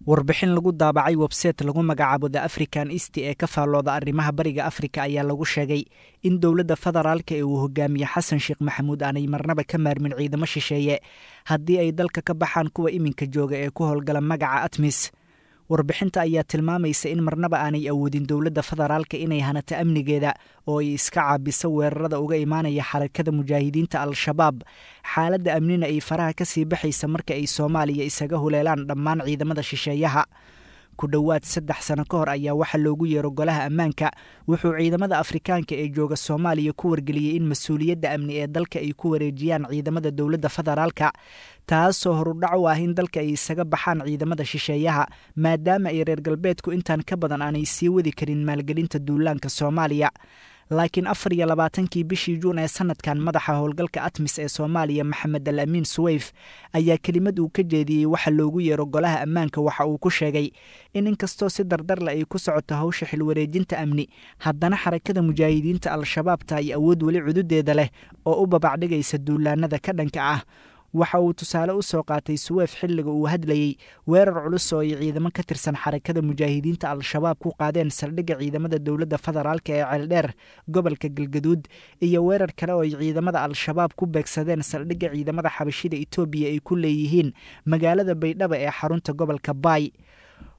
Warbixin lagu daabacay website lagu magacaabo The African East ee ka faallooda arrimaha Bariga Afrika ayaa lagu sheegay in dowladda federaalka ee uu hogaamiye Xasan Sheekh Maxamuud aanay marnaba ka maarmin ciidamo shisheeye haddii ay dalka ka baxaan kuwa iminka jooga ee ku howlgala magaca ATMIS. Warbixinta ayaa tilmaamaysa in marnaba aanay awoodin dowladda federaalka inay hanato amnigeeda oo ay iska caabiso weerarada uga imaanaya Xarakada Mujaahidiinta Al-Shabaab, xaaladda amnina ay faraha kasii baxaysa marka ay Soomaaliya isaga huleelaan dhammaan ciidamada shisheeyaha. Ku dhowaad 3 sano ka hor ayaa waxaa loogu yeero Golaha Ammaanka wuxuu ciidamada Afrikaanka ee jooga Soomaaliya ku wargeliyey in mas-uuliyadda amni ee dalka ay ku wareejiyaan ciidamada dowladda federaalka, taasoo horudhac u ah in dalka ay isaga baxaan ciidamada shisheeyaha, maadaama ay reer galbeedku intaan ka badan aanay sii wadi karin maalgelinta duulaanka Soomaaliya. Laakiin 24-kii bishii Juun ee sanadkan, madaxa howlgalka ATMIS ee Soomaaliya, Maxamed Al Amiin Suweyf, ayaa kelimad uu ka jeediyey waxa loogu yeero Golaha Ammaanka waxa uu ku sheegay in inkastoo si dardarle ay ku socoto hawsha xilwareejinta amni, haddana Xarakada Mujaahidiinta Al-Shabaab tahay awood weli cududeeda leh oo u babacdhigaysa duulaanada ka dhanka ah. Waxa uu tusaale u soo qaatay Suweef xilliga uu hadlayey weerar culus oo ay ciidamo ka tirsan Xarakada Mujaahidiinta Al-Shabaab ku qaadeen saldhigga ciidamada dowladda federaalka ee Ceeldheer, gobolka Galgaduud, iyo weerar kale oo ay ciidamada Al-Shabaab ku beegsadeen saldhigga ciidamada Xabashida Itoobiya ay ku leeyihiin magaalada Baydhaba ee xarunta gobolka Baay.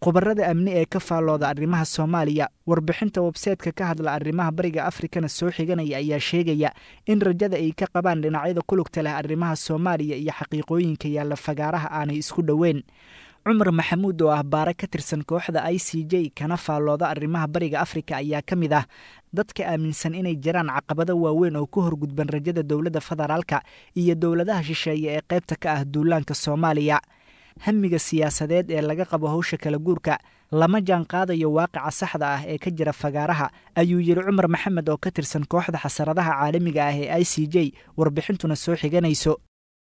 Khubarada amni ee ka faallooda arrimaha Soomaaliya, warbixinta websaytka ka hadla arrimaha Bariga Afrikana soo xiganaya, ayaa sheegaya in rajada ay ka qabaan dhinacyada kulugta leh arrimaha Soomaaliya iyo xaqiiqooyinka yaalla fagaaraha aanay isku dhoweyn. Cumar Maxamuud oo ah baare ka tirsan kooxda ICJ kana faallooda arrimaha Bariga Afrika ayaa ka mid ah dadka aaminsan inay jiraan caqabado waaweyn oo ku horgudban rajada dowladda federaalka iyo dowladaha shisheeye ee qaybta ka ah duulaanka Soomaaliya. Hamiga siyaasadeed ee laga qabo hawsha kala guurka lama jaan qaadayo waaqica saxda ah ee ka jira fagaaraha, ayuu yidhi Cumar Maxamed oo ka tirsan kooxda xasaradaha caalamiga ah ee ICJ, warbixintuna soo xiganayso.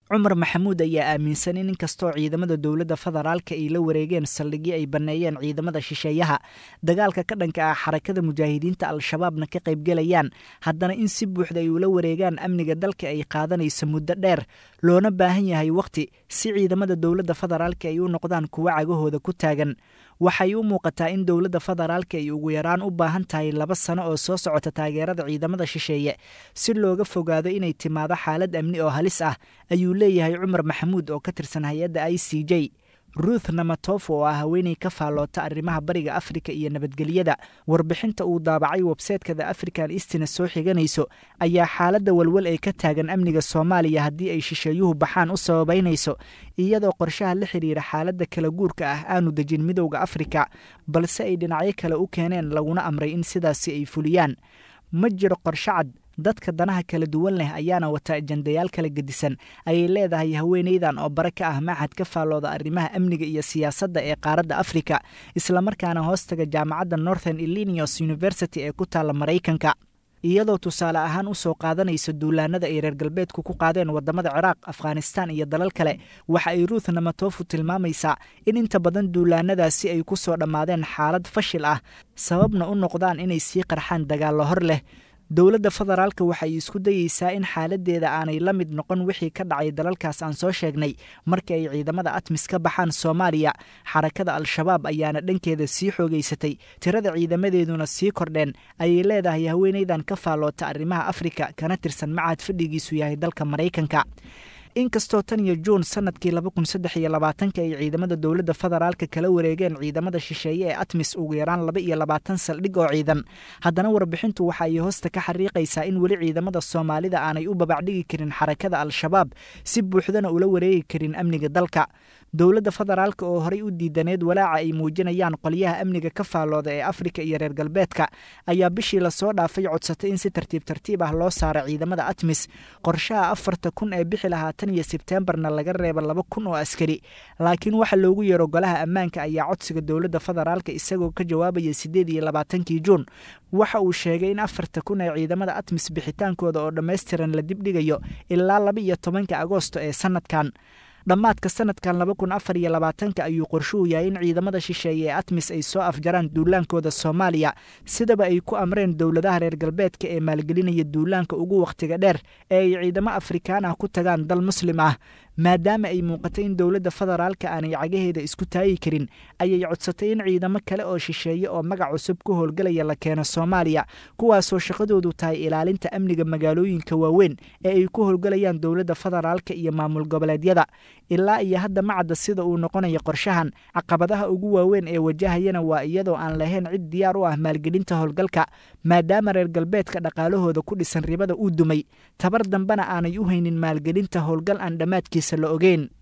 Cumar Maxamuud ayaa aaminsan in inkastoo ciidamada dowladda federaalka ay la wareegeen saldhigyo ay banneeyeen ciidamada shisheeyaha, dagaalka ka dhanka ah Xarakada Mujaahidiinta Al-Shabaabna ka qaybgelayaan, haddana in si buuxda ay ula wareegaan amniga dalka ay qaadanayso muddo dheer, loona baahan yahay wakhti si ciidamada dowladda federaalka ay u noqdaan kuwo cagahooda ku taagan. Waxay u muuqataa in dowladda federaalka ay ugu yaraan u baahan tahay 2 sano oo soo socota taageerada ciidamada shisheeye si looga fogaado inay timaado xaalad amni oo halis ah, ayuu leeyahay Cumar Maxamuud oo ka tirsan hay-adda ICJ. Ruth Namatofo oo ah haweeney ka faalloota arrimaha Bariga Afrika iyo nabadgelyada, warbixinta uu daabacay websaytka The African Eastina soo xiganayso, ayaa xaaladda walwal ee ka taagan amniga Soomaaliya haddii ay shisheeyuhu baxaan u sababaynayso iyadoo qorshaha la xiriira xaaladda kala guurka ah aanu dejin Midowda Afrika, balse ay dhinacyo kale u keeneen laguna amray in sidaasi ay fuliyaan. Ma jiro qorshe cad, dadka danaha kala duwan leh ayaana wata ajandayaal kala gedisan, ayay leedahay haweeneydan oo bare ka ah machad ka faallooda arrimaha amniga iyo siyaasadda ee qaaradda Afrika, islamarkaana hoostaga jaamacadda Northern Illinois University ee ku taalla Maraykanka. Iyadoo tusaale ahaan u soo qaadanaysa duulaanada ay reer galbeedku ku qaadeen waddamada Ciraaq, Afghanistan iyo dalal kale, waxa ay Ruth Namatofu tilmaamaysaa in inta badan duulaanadaasi ay ku soo dhammaadeen xaalad fashil ah, sababna u noqdaan inay sii qarxaan dagaallo hor leh. Dowladda federaalka waxay isku dayeysaa in xaaladdeeda aanay la mid noqon wixii ka dhacay dalalkaas aan soo sheegnay marka ay ciidamada ATMIS ka baxaan Soomaaliya. Xarakada Al-Shabaab ayaana dhankeeda sii xoogeysatay, tirada ciidamadeeduna sii kordheen, ayay leedahay haweeneydan ka faalloota arrimaha Afrika kana tirsan machad fadhigiisu yahay dalka Maraykanka. Inkastoo tan iyo Juun sanadkii 2023-ka ay ciidamada dowladda federaalka kala wareegeen ciidamada shisheeye ee ATMIS ugu yaraan 22 saldhig oo ciidan, haddana warbixintu waxa ay hoosta ka xariiqaysaa in weli ciidamada Soomaalida aanay u babacdhigi karin Xarakada Al-Shabaab, si buuxdana ula wareegi karin amniga dalka. Dowladda federaalka oo horey u diidaneed walaaca ay muujinayaan qolyaha amniga ka faallooda ee Afrika iyo reer galbeedka ayaa bishii lasoo dhaafay codsatay in si tartiib tartiib ah loo saaro ciidamada ATMIS, qorshaha 4,000 ee bixi lahaa tan iyo Sebteembarna laga reebo 2,000 oo askari. Laakiin waxa loogu yeero Golaha Ammaanka ayaa codsiga dowladda federaalka isagoo ka jawaabaya 28-kii Juun waxa uu sheegay in 4,000 ee ciidamada ATMIS bixitaankooda oo dhammaystiran la dibdhigayo ilaa 12-ka Agoosto ee sanadkan. Dhammaadka sanadkan 2024-ka ayuu qorshuhu yahay in ciidamada shisheeye ee ATMIS ay soo afjaraan duulaankooda Soomaaliya, sidaba ay ku amreen dowladaha reer galbeedka ee maalgelinaya duulaanka ugu wakhtiga dheer ee ay ciidamo Afrikaan ah ku tagaan dal Muslim ah. Maadaama ay muuqatay in dowladda federaalka aanay cagaheeda isku taagi karin, ayay codsatay in ciidamo kale oo shisheeye oo magac cusub ku howlgalaya la keeno Soomaaliya, kuwaasoo shaqadoodu tahay ilaalinta amniga magaalooyinka waaweyn ee ay ku howlgalayaan dowladda federaalka iyo maamul goboleedyada. Ilaa iyo hadda ma cadda sida uu noqonayo qorshahan. Caqabadaha ugu waaweyn ee wajahayana waa iyadoo aan lahayn cid diyaar u ah maalgelinta howlgalka, maadaama reer galbeedka dhaqaalahooda ku dhisan ribada uu dumay, tabar dambena aanay u haynin maalgelinta howlgal aan dhammaadkiisa la ogeyn.